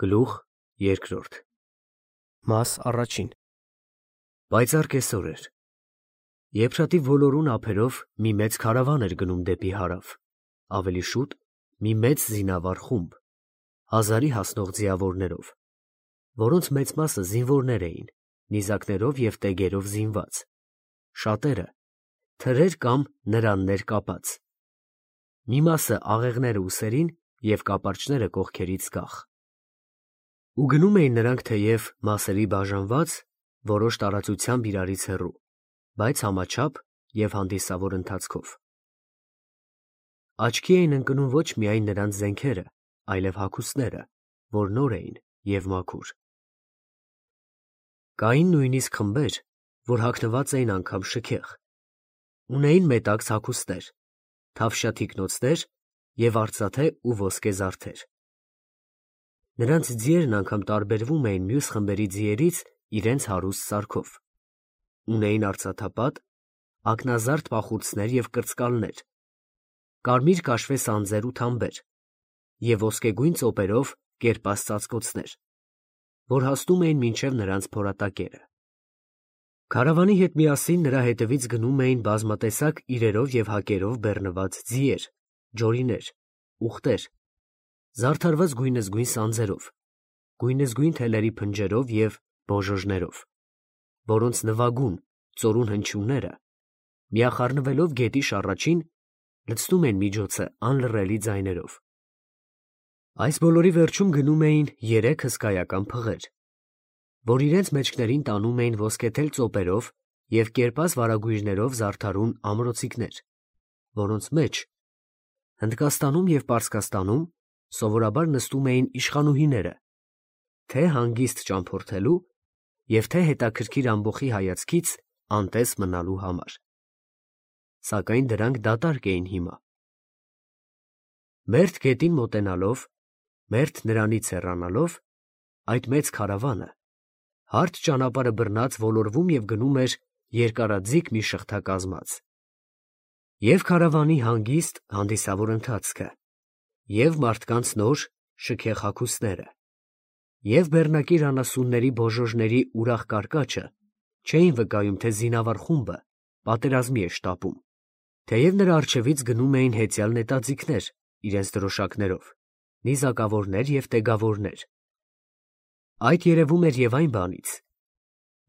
Գլուխ երկրորդ Մաս առաջին Պայծառ կեսօր էր։ Եփրատի ոլորուն ափերով մի մեծ քարավան էր գնում դեպի հարավ, ավելի շուտ մի մեծ զինավառ խումբ, հազարի հասնող ձիավորներով, որոնց մեծ մասը զինվորներ էին, նիզակներով և տեգերով զինված, շատերը թրեր կամ նրաններ կապած, մի մասը աղեղները ուսերին և կապարճները կողքերից գախ։ Ու գնում էին նրանք թեև մասերի բաժանված, որոշ տարածությամբ իրարից հեռու, բայց համաչափ և հանդիսավոր ընթացքով։ Աչքի էին ընկնում ոչ միայն նրանց զենքերը, այլև հագուստները, որ նոր էին և մաքուր։ Կային նույնիսկ խմբեր, որ հագնված էին անգամ շքեղ, ունեին մետաքս հագուստներ, թավշյա թիկնոցներ և արծաթե ու ոսկե զարդեր։ Նրանց ձիերն անգամ տարբերվում էին մյուս խմբերի ձիերից իրենց հարուստ սարքով, ունեին արծաթապատ, ակնազարդ պախուրձներ և կրծկալներ, կարմիր կաշվե սանձեր ու թամբեր և ոսկեգույն ծոպերով կերպած ծածկոցներ, որ հասնում էին մինչև նրանց փորատակերը։ Քարավանի հետ միասին նրա հետևից գնում էին բազմատեսակ իրերով և հակերով բեռնված ձիեր, ջորիներ, ուղտեր, զարդարված գույնզգույն սանձերով, գույնզգույն թելերի փնջերով և բոժոժներով, որոնց նվագուն, ծորուն հնչյունները, միախառնվելով գետի շառաչին, լցնում են միջոցը անլռելի ձայներով։ Այս բոլորի վերջում գնում էին երեք հսկայական փղեր, որ իրենց մեջքներին տանում էին ոսկեթել ծոպերով և կերպած վարագույրներով զարդարուն ամրոցիկներ, որոնց մեջ Հնդկաստանում և Պարսկաստանում սովորաբար նստում էին իշխանուհիները, թե հանգիստ ճամփորդելու և թե հետաքրքիր ամբոխի հայացքից անտես մնալու համար, սակայն դրանք դատարկ էին հիմա։ Մերթ գետին մոտենալով, մերթ նրանից հեռանալով, այդ մեծ քարավանը, հարթ ճանապարհը բռնած ոլորվում և գնում էր երկարաձիգ մի շղթա կազմած։ Եվ քարավանի հանգիստ, հանդիսավոր ընթացքը, և մարդկանց նոր, շքեղ հագուստները, և բեռնակիր անասունների բոժոժների ուրախ կարկաչը չէին վկայում, թե զինավառ խումբը պատերազմի է շտապում, թեև նրա առջևից գնում էին հեծյալ նետաձիգներ իրենց դրոշակներով, նիզակավորներ և տեգավորներ։ Այդ երևում էր և այն բանից,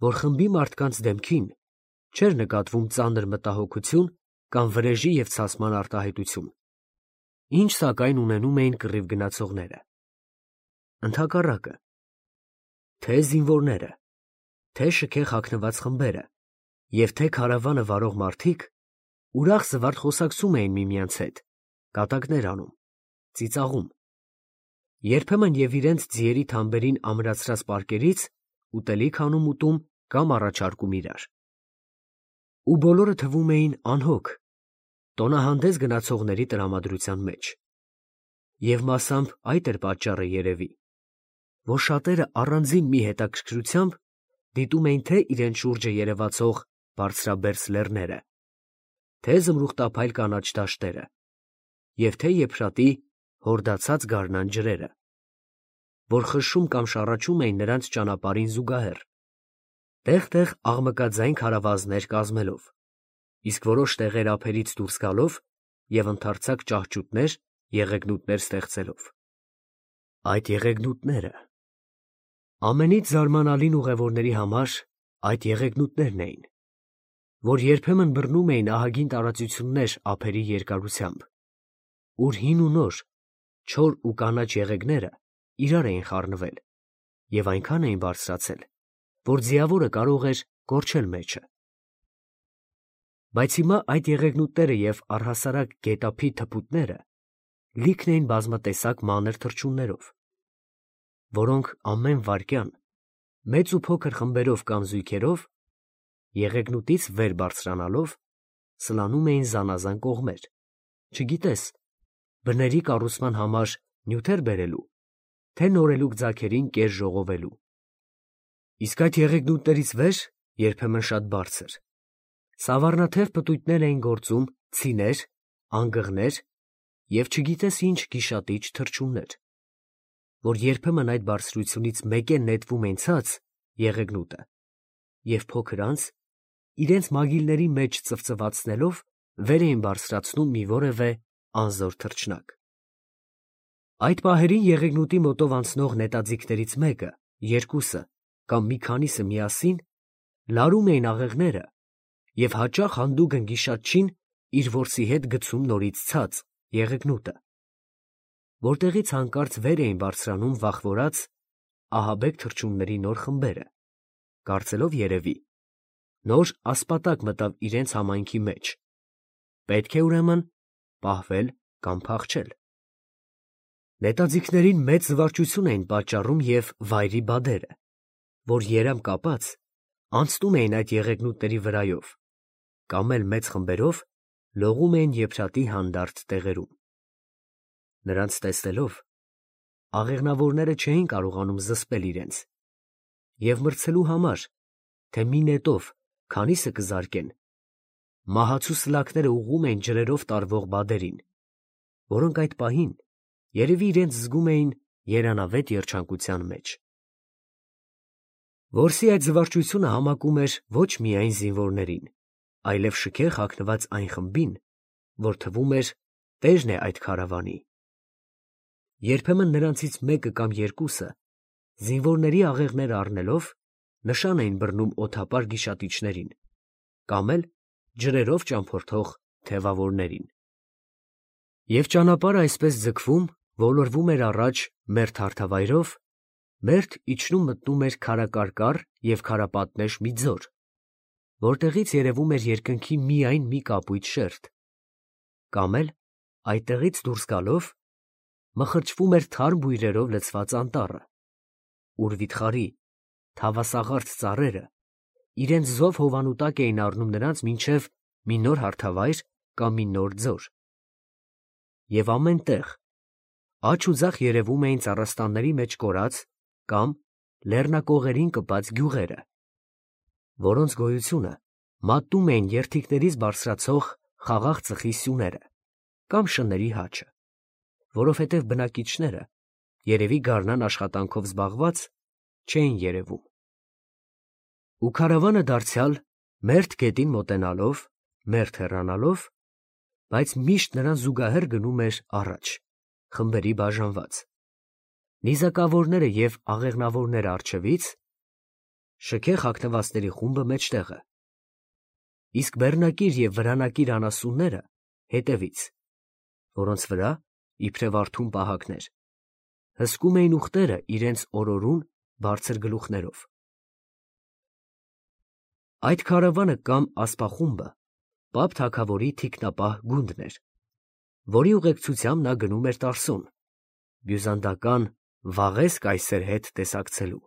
որ խմբի մարդկանց դեմքին չէր նկատվում ծանր մտահոգություն կամ վրեժի և ցասման արտահայտություն, ինչ սակայն ունենում էին կռիվ գնացողները։ Ընդհակառակը, թե զինվորները, թե շքեղ հագնված խմբերը և թե քարավանը վարող մարդիկ ուրախ զվարթ խոսակցում էին միմյանց հետ, կատակներ անում, ծիծաղում, երբեմն և իրենց ձիերի թամբերին ամրացրած պարկերից ուտելիք անում ուտում կամ առաջարկում իրար։ Ու բոլորը թվում էին անհոգ, տոնահանդես գնացողների տրամադրության մեջ։ Եվ մասամբ այդ էր պատճառը երևի, որ շատերը առանձին մի հետաքրքրությամբ դիտում էին թե իրենց շուրջը երևացող բարձրաբերձ լեռները, թե զմրուխտափայլ կանաչ դաշտերը և թե Եփրատի հորդացած գարնան ջրերը, որ խշշում կամ շառաչում էին նրանց ճանապարհին զուգահեռ, տեղ֊տեղ աղմկաձայն քարավազներ կազմելով, իսկ որոշ տեղեր ափերից դուրս գալով և ընդարձակ ճահճուտներ, եղեգնուտներ ստեղծելով։ Այդ եղեգնուտները… Ամենից զարմանալին ուղևորների համար այդ եղեգնուտներն էին, որ երբեմն բռնում էին ահագին տարածություններ ափերի երկարությամբ, ուր հին ու նոր, չոր ու կանաչ եղեգները իրար էին խառնվել և այնքան էին բարձրացել, որ ձիավորը կարող էր կորչել մեջը։ Բայց հիմա այդ եղեգնուտները և առհասարակ գետափի թփուտները լիքն էին բազմատեսակ մանր թռչուններով, որոնք ամեն վայրկյան, մեծ ու փոքր խմբերով կամ զույգերով, եղեգնուտից վեր բարձրանալով, սլանում էին զանազան կողմեր, չգիտես, բների կառուցման համար նյութեր բերելու, թե նորելուկ ձագերին կեր ժողովելու։ Իսկ այդ եղեգնուտներից վեր, երբեմն շատ բարձր, սավառնաթև պտույտներ էին գործում ցիներ, անգղներ և չգիտես ինչ գիշատիչ թռչուններ, որ երբեմն այդ բարձրությունից մեկեն նետվում են ցած եղեգնուտը, և փոքր անց, իրենց մագիլների մեջ ծվծվացնելով, վեր էին բարձրացնում մի որևէ անզոր թռչնակ։ Այդ պահերին եղեգնուտի մոտով անցնող նետաձիգներից մեկը, երկուսը կամ մի քանիսը միասին լարում էին աղեղները և հաճախ հանդուգն գիշատչին իր որսի հետ գցում նորից ցած եղեգնուտը, որտեղից հանկարծ վեր էին բարձրանում վախվորած ահաբեկ թռչունների նոր խմբերը, կարծելով երևի, նոր ասպատակ մտավ իրենց համայնքի մեջ, պետք է ուրեմն պահվել կամ փախչել։ Նետաձիգներին մեծ զվարճություն էին պատճառում և վայրի բադերը, որ երամ կապած անցնում էին այդ եղեգնուտների վրայով, կամ էլ մեծ խմբերով լողում էին եփրատի հանդարտ տեղերում։ Նրանց տեսնելով, աղեղնավորները չէին կարողանում զսպել իրենց և մրցելու համար, թե մի նետով քանիսը կզարկեն, մահացու սլաքները ուղղում էին ջրերով տարվող բադերին, որոնք այդ պահին երևի իրենց զգում էին երանավետ երջանկության մեջ։ Որսի այդ զվարճությունը համակում էր ոչ միայն զինվորներին, այլև շքեղ հագնված այն խմբին, որ թվում էր տերն է այդ քարավանի։ Երբեմն նրանցից մեկը կամ երկուսը, զինվորների աղեղները առնելով, նշան էին բռնում օդապար գիշատիչներին, կամ էլ ջրերով ճամփորդող թևավորներին։ Եվ ճանապարհը այսպես ձգվում, ոլորվում էր առաջ մերթ հարթավայրով, մերթ իջնում մտնում էր քարակարկառ և քարապատնեշ մի ձոր, որտեղից երևում էր երկնքի միայն մի կապույտ շերտ, կամ էլ այդտեղից դուրս գալով մխրճվում էր թարմ բույրերով լցված անտառը, ուր վիթխարի, թավասաղարթ ծառերը իրենց զով հովանու տակ էին առնում նրանց մինչև մի նոր հարթավայր կամ մի նոր ձոր։ Եվ ամեն տեղ աջ ու ձախ երևում էին ծառաստանների մեջ կորած կամ լեռնակողերին կպած գյուղերը, որոնց գոյությունը մատնում էին երթիկներից բարձրացող խաղաղ ծխի սյուները կամ շների հաչը, որովհետև բնակիչները, երևի գարնան աշխատանքով զբաղված, չէին երևում։ Ու քարավանը դարձյալ մերթ գետին մոտենալով, մերթ հեռանալով, բայց միշտ նրան զուգահեռ գնում էր առաջ, խմբերի բաժանված, նիզակավորները և աղեղնավորները առջևից, շքեղ հագնվածների խումբը մեջտեղը, իսկ բեռնակիր և վրանակիր անասունները հետևից, որոնց վրա, իբրև արթուն պահակներ, հսկում էին ուղտերը իրենց օրորուն բարձր գլուխներով։ Այդ քարավանը կամ ասպախումբը Պապ թագավորի թիկնապահ գունդն էր, որի ուղեկցությամբ նա գնում էր Տարսոն, բյուզանդական Վաղես կայսեր հետ տեսակցելու։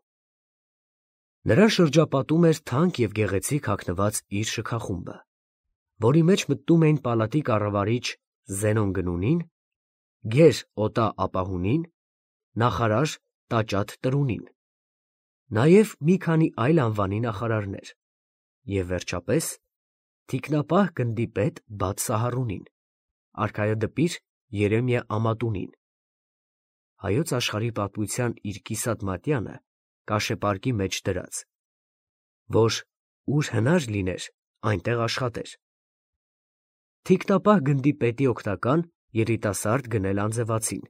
Նրան շրջապատում էր թանկ և գեղեցիկ հագնված իր շքախումբը, որի մեջ մտնում էին պալատի կառավարիչ Զենոն Գնունին, գեր Օտա ապահունին, նախարար Տաճատ Տրունին, նաև մի քանի այլ անվանի նախարարներ և, վերջապես, թիկնապահ գնդի պետ Բաթ Սահարունին, արքայադպիր Երեմիա Ամատունին, հայոց աշխարհի պատմության իր կիսատ մատյանը կաշեպարկի մեջ դրած, որ ուր հնար լիներ, այնտեղ աշխատեր։ Թիկնապահ գնդի պետի օգնական երիտասարդ գնել անձևացին,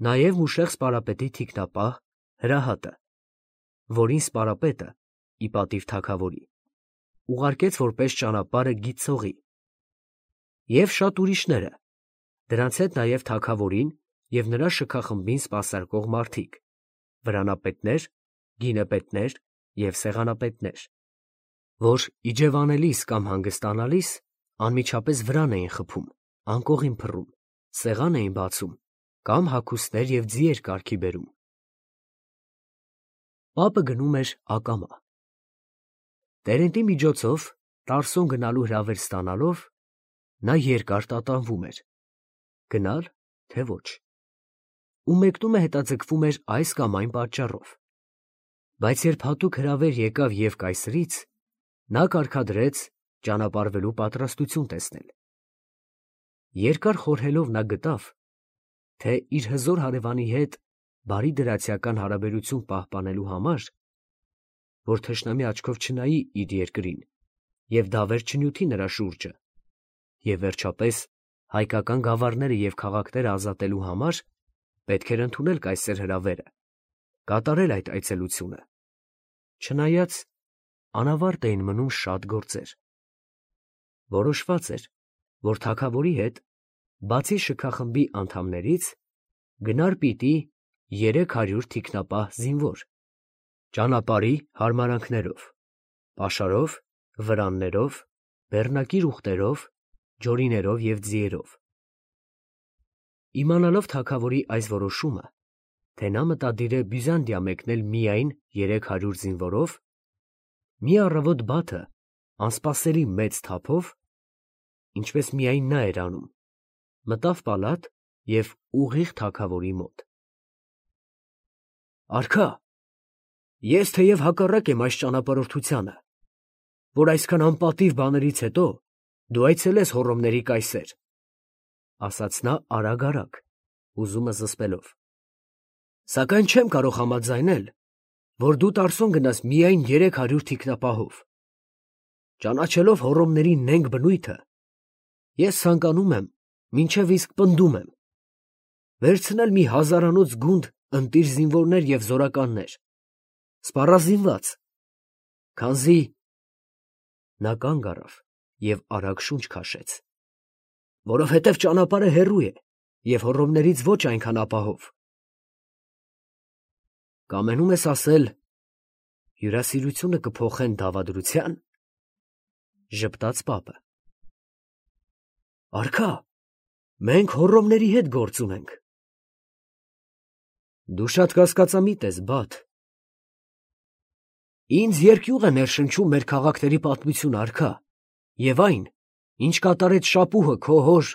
նաև Մուշեղ սպարապետի թիկնապահ Հրահատը, որին սպարապետը, ի պատիվ թագավորի, ուղարկեց որպես ճանապարհը գիտցողի, և շատ ուրիշները, դրանց հետ նաև թագավորին և նրա շքախմբին սպասարկող մարդիկ, վրանապետներ, գինեպետներ և սեղանապետներ, որ իջևանելիս կամ հանգստանալիս անմիջապես վրան էին խփում, անկողին փռում, սեղան էին բացում կամ հագուստներ և ձիեր կարգի բերում։ Պապը գնում էր ակամա։ Տերենտի միջոցով Տարսոն գնալու հրավեր ստանալով, նա երկար տատանվում էր, գնալ, թե ոչ, ու մեկնումը հետաձգվում էր այս կամ այն պատճառով, բայց երբ հատուկ հրավեր եկավ և կայսրից, նա կարգադրեց ճանապարհվելու պատրաստություն տեսնել։ Երկար խորհելով նա գտավ, թե իր հզոր հարևանի հետ բարի դրացիական հարաբերություն պահպանելու համար, որ թշնամի աչքով չնայի իր երկրին և դավեր չնյութի նրա շուրջը, և վերջապես հայկական գավառները և քաղաքները ազատելու համար պետք էր ընդունել կայսեր հրավերը, կատարել այդ այցելությունը, չնայած անավարտ էին մնում շատ գործեր։ Որոշված էր, որ թագավորի հետ, բացի շքախմբի անդամներից, գնար պիտի 300 թիկնապահ զինվոր, ճանապարհի հարմարանքներով, պաշարով, վրաններով, բեռնակիր ուղտերով, ջորիներով և ձիերով։ Իմանալով թագավորի այս որոշումը, թե նա մտադիր է Բյուզանդիա մեկնել միայն 300 զինվորով, մի առավոտ Բաթը անսպասելի մեծ թափով, ինչպես միայն նա էր անում, մտավ պալատ և ուղիղ թագավորի մոտ։ «Արքա, ես թեև հակառակ եմ այս ճանապարհորդությանը, որ այսքան անպատիվ բաներից հետո դու այցելես Հոռոմների կայսեր», ասաց նա արագ, հուզումը զսպելով, «սակայն չեմ կարող համաձայնել, որ դու Տարսոն գնաս միայն 300 թիկնապահով։ Ճանաչելով Հոռոմների նենգ բնույթը, ես ցանկանում եմ, մինչև իսկ պնդում եմ, վերցնել մի հազարանոց գունդ ընտիր զինվորներ և զորականներ, սպառազինված, քանզի…» Նա կանգ առավ և արագ շունչ քաշեց, «որովհետև ճանապարհը հեռու է և Հոռոմներից ոչ այնքան ապահով»։ «Կամենում ես ասել, հյուրասիրությունը կփոխեն դավադրությա՞ն», ժպտաց պապը։ «Արքա, մենք Հոռոմների հետ գործ ունենք»։ «Դու շատ կասկածամիտ ես, Բաթ»։ «Ինձ երկյուղ է ներշնչում մեր քաղաքների պատմությունը, արքա, և այն, ինչ կատարեց շապուհը քո հոր…»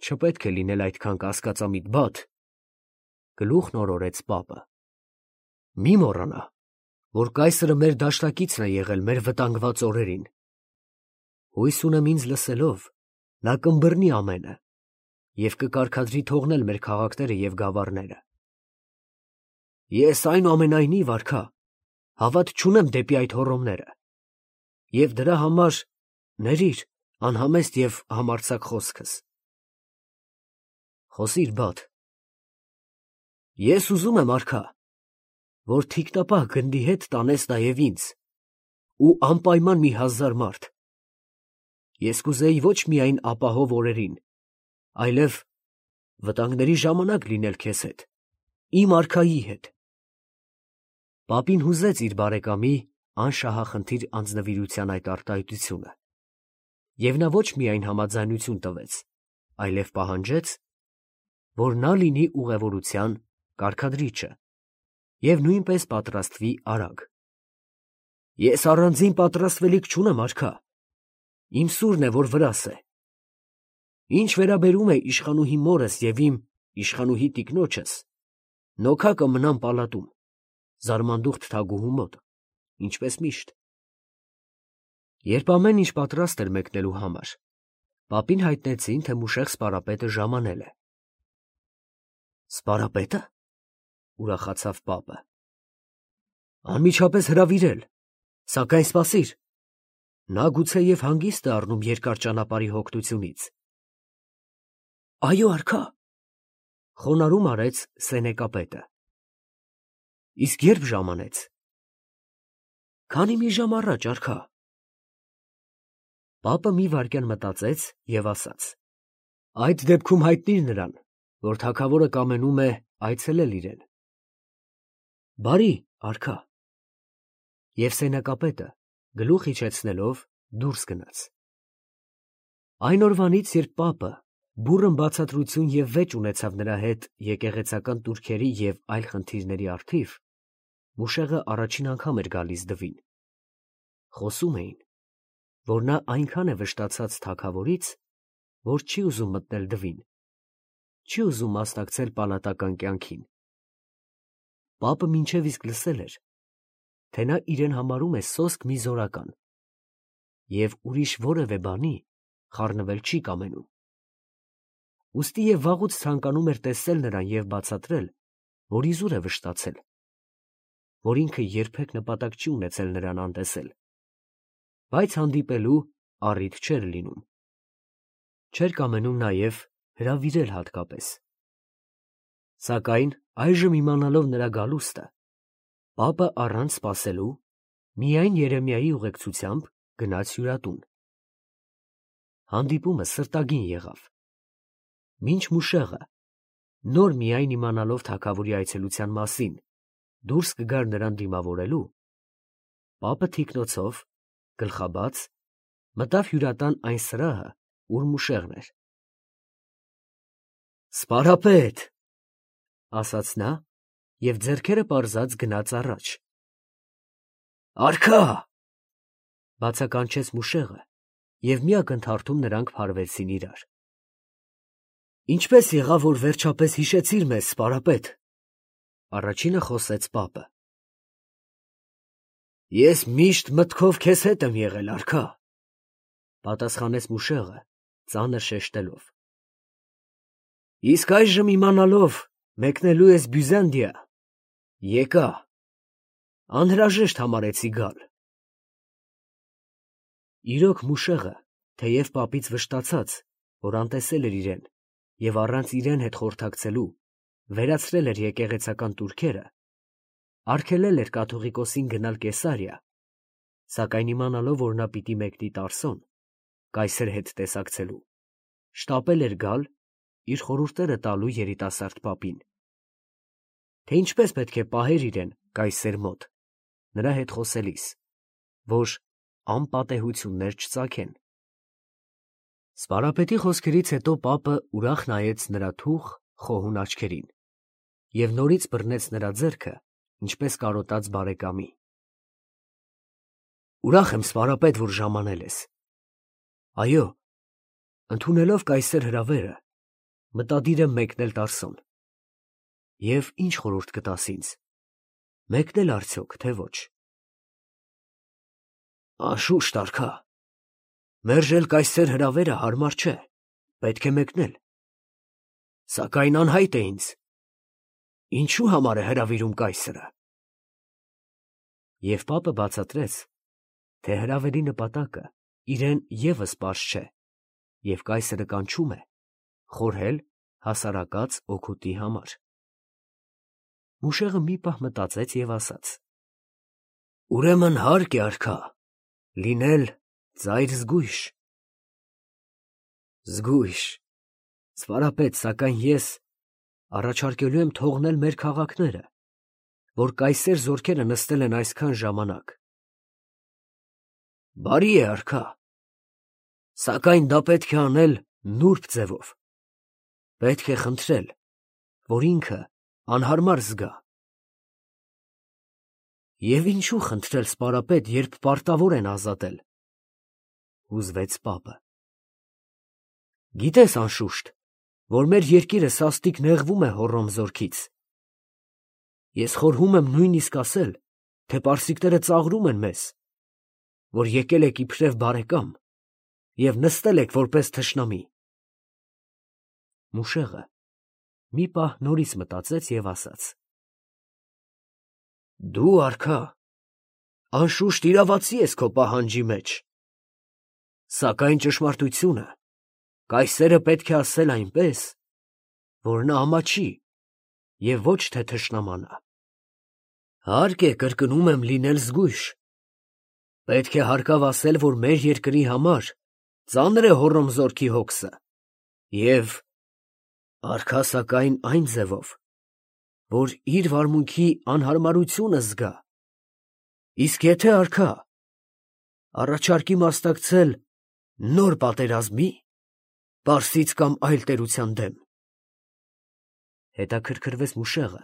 «Չպետք է լինել այդքան կասկածամիտ, Բաթ», գլուխն օրորեց պապը։ «Մի մոռանա, որ կայսրը մեր դաշնակիցն է եղել մեր վտանգված օրերին։ Հույս ունեմ ինձ լսելով, նա կըմբռնի ամենը և կկարգադրի թողնել մեր քաղաքները և գավառները։ Ես, այնուամենայնիվ, արքա, հավատ չունեմ դեպի այդ Հոռոմները, և դրա համար ներիր անհամեստ և համարձակ խոսքս»։ «Խոսիր, Բաթ»։ «Ես ուզում եմ, արքա, որ թիկնապահ գնդի հետ տանես նաև ինձ ու անպայման մի 1000 մարդ։ Ես կուզեի ոչ միայն ապահով օրերին, այլև վտանգների ժամանակ լինել քեզ հետ, իմ արքայի հետ»։ Պապին հուզեց իր բարեկամի անշահախնդիր անձնվիրության այդ արտահայտությունը, և նա ոչ միայն համաձայնություն տվեց, այլև պահանջեց, որ նա լինի ուղևորության կարգադրիչը և նույնպես պատրաստվի արագ։ «Ես առանձին պատրաստվելիք չունեմ, արքա, իմ սուրն է, որ վրաս է։ Ինչ վերաբերում է իշխանուհի մորս և իմ իշխանուհի տիկնոջս, նոքա կմնան պալատում, զարմանդուխտ թագուհու մոտ, ինչպես միշտ»։ Երբ ամեն ինչ պատրաստ էր մեկնելու համար, պապին հայտնեցին, թե մուշեղ սպարապետը ժամանել է։ «Սպարապե՞տը», ուրախացավ պապը։ «Անմիջապես հրավիրել, սակայն սպասիր, նա գուցեև հանգիստ է առնում երկար ճանապարհի հոգնությունից»։ «Այո, արքա», խոնարհում արեց սենեկապետը։ «Իսկ ե՞րբ ժամանեց»։ «Քանի մի ժամ առաջ, արքա»։ Պապը մի վայրկյան մտածեց և ասաց. «Այդ դեպքում հայտնիր նրան, որ թագավորը կամենում է այցելել իրեն»։ «Բարի, արքա»։ Եվ սենյակապետը, գլուխ իջեցնելով, դուրս գնաց։ Այն օրվանից, երբ պապը բուռն բացատրություն և վեճ ունեցավ նրա հետ եկեղեցական տուրքերի և այլ խնդիրների առթիվ, մուշեղը առաջին անգամ էր գալիս դվին։ Խոսում էին, որ նա այնքան է վշտացած թագավորից, որ չի ուզում մտնել դվին, չի ուզում մասնակցել պալատական կյանքին։ Պապը մինչև իսկ լսել էր, թե նա իրեն համարում է սոսկ մի զորական և ուրիշ որևէ բանի խառնվել չի կամենում։ Ուստի և վաղուց ցանկանում էր տեսնել նրան և բացատրել, որ իզուր է վշտացել, որ ինքը երբեք նպատակ չի ունեցել նրան անտեսել, բայց հանդիպելու առիթ չէր լինում, չէր կամենում նաև հրավիրել հատկապես, սակայն այժմ իմանալով նրա գալուստը, պապը առանց սպասելու միայն Երեմիայի ուղեկցությամբ գնաց հյուրատուն, հանդիպումը սրտագին եղավ, մինչ Մուշեղը, նոր միայն իմանալով թագավորի այցելության մասին, դուրս կգար նրան դիմավորելու, պապը թիկնոցով, գլխաբաց, մտավ հյուրատան այն սրահը, ուր Մուշեղն էր։ «Սպարապետ», ասաց նա և ձեռքերը պարզած գնաց առաջ։ «Արքա», բացականչեց Մուշեղը և մի ակնթարթում նրանք փարվեցին իրար։ «Ինչպե՞ս եղավ, որ վերջապես հիշեցիր մեզ, սպարապետ», առաջինը խոսեց պապը։ «Ես միշտ մտքով քեզ հետ եմ եղել, արքա», պատասխանեց Մուշեղը, ծանր շեշտելով։ «Իսկ այժմ իմանալով մեկնելու ես Բյուզանդիա, եկա, անհրաժեշտ համարեցի գալ»։ Իրոք Մուշեղը, թեև պապից վշտացած, որ անտեսել էր իրեն և առանց իրեն հետ խորհրդակցելու վերացրել էր եկեղեցական տուրքերը, արգելել էր կաթողիկոսին գնալ Կեսարիա, սակայն իմանալով, որ նա պիտի մեկնի Տարսոն, կայսեր հետ տեսակցելու, շտապել էր գալ իր խորհուրդները տալու երիտասարդ պապին, թե ինչպես պետք է պահեր իրեն կայսեր մոտ, նրա հետ խոսելիս, որ անպատեհություններ չծագեն։ Սպարապետի խոսքերից հետո պապը ուրախ նայեց նրա թուխ, խոհուն աչքերին և նորից բռնեց նրա ձեռքը, ինչպես կարոտած բարեկամի։ «Ուրախ եմ, սպարապետ, որ ժամանել ես։ Այո, ընդունելով կայսեր հրավերը, մտադիր եմ մեկնել Տարսոն։ Եվ ինչ խորհուրդ կտաս ինձ, մեկնել արդյոք, թե ոչ»։ «Անշուշտ, արքա, մերժել կայսեր հրավերը հարմար չէ, պետք է մեկնել, սակայն անհայտ է ինձ, ինչու համար է հրավիրում կայսրը»։ Եվ պապը բացատրեց, թե հրավերի նպատակը իրեն ևս պարզ չէ, և կայսրը կանչում է խորհել հասարակած օգուտի համար։ Մուշեղը մի պահ մտածեց և ասաց. «Ուրեմն հարկ է, արքա, լինել ծայր զգույշ»։ «Զգույշ, սպարապետ, սակայն ես առաջարկելու եմ թողնել մեր քաղաքները, որ կայսեր զորքերը նստել են այսքան ժամանակ»։ «Բարի է, արքա, սակայն դա պետք է անել նուրբ ձևով, պետք է խնդրել, որ ինքը անհարմար զգա»։ «Եվ ինչու խնդրել, սպարապետ, երբ պարտավոր են ազատել», հուզվեց պապը։ «Գիտես, անշուշտ, որ մեր երկիրը սաստիկ նեղվում է Հոռոմ զորքից։ Ես խորհում եմ նույնիսկ ասել, թե պարսիկները ծաղրում են մեզ, որ եկել եք իբրև բարեկամ և նստել եք որպես թշնամի»։ Մուշեղը մի պահ նորից մտածեց և ասաց. «Դու, արքա, անշուշտ իրավացի ես քո պահանջի մեջ, սակայն ճշմարտությունը կայսերը պետք է ասել այնպես, որ նա ամաչի և ոչ թե թշնամանա։ Հարկ է, կրկնում եմ, լինել զգույշ, պետք է հարկավ ասել, որ մեր երկրի համար ծանր է Հոռոմ զորքի հոգսը և, արքա, սակայն այն ձևով, որ իր վարմունքի անհարմարությունը զգա, իսկ եթե, արքա, առաջարկի մասնակցել նոր պատերազմի, պարսից կամ այլ տերության դեմ»։ Հետաքրքրվեց Մուշեղը,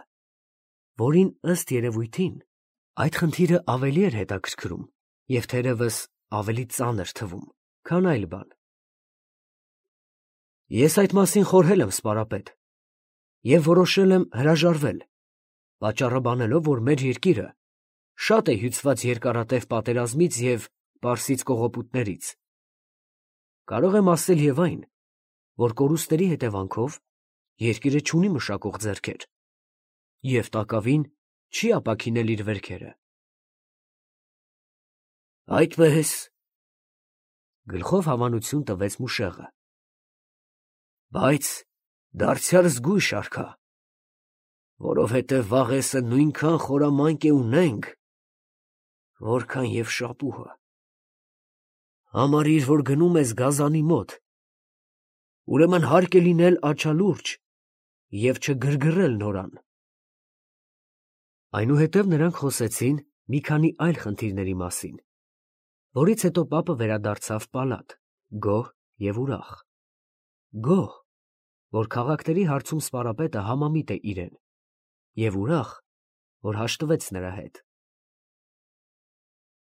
որին ըստ երևույթին այդ խնդիրը ավելի էր հետաքրքրում և թերևս ավելի ծանր թվում, քան այլ բան։ «Ես այդ մասին խորհել եմ, սպարապետ, և որոշել եմ հրաժարվել, պատճառը բանելով, որ մեր երկիրը շատ է հյուծված երկարատև պատերազմից և պարսից կողոպուտներից։ Կարող եմ ասել և այն, որ կորուստների հետևանքով երկիրը չունի մշակող ձեռքեր և տակավին չի ապաքինել իր վերքերը։ Այդպես, գլխով հավանություն տվեց մուշեղը, բայց դարձյալ զգույշ արքա, որովհետև վաղեսը նույնքան խորամանկ է ունենք, որքան և շապուհը։ Համարիր, որ գնում ես գազանի մոտ, ուրեմն հարկ է լինել աչալուրջ և չգրգռել նորան։ Այնուհետև նրանք խոսեցին մի քանի այլ խնդիրների մասին, որից հետո պապը վերադարձավ պալատ, գոհ և ուրախ։ Գոհ, որ քաղաքների հարցում սպարապետը համամիտ է իրեն, և ուրախ, որ հաշտվեց նրա հետ։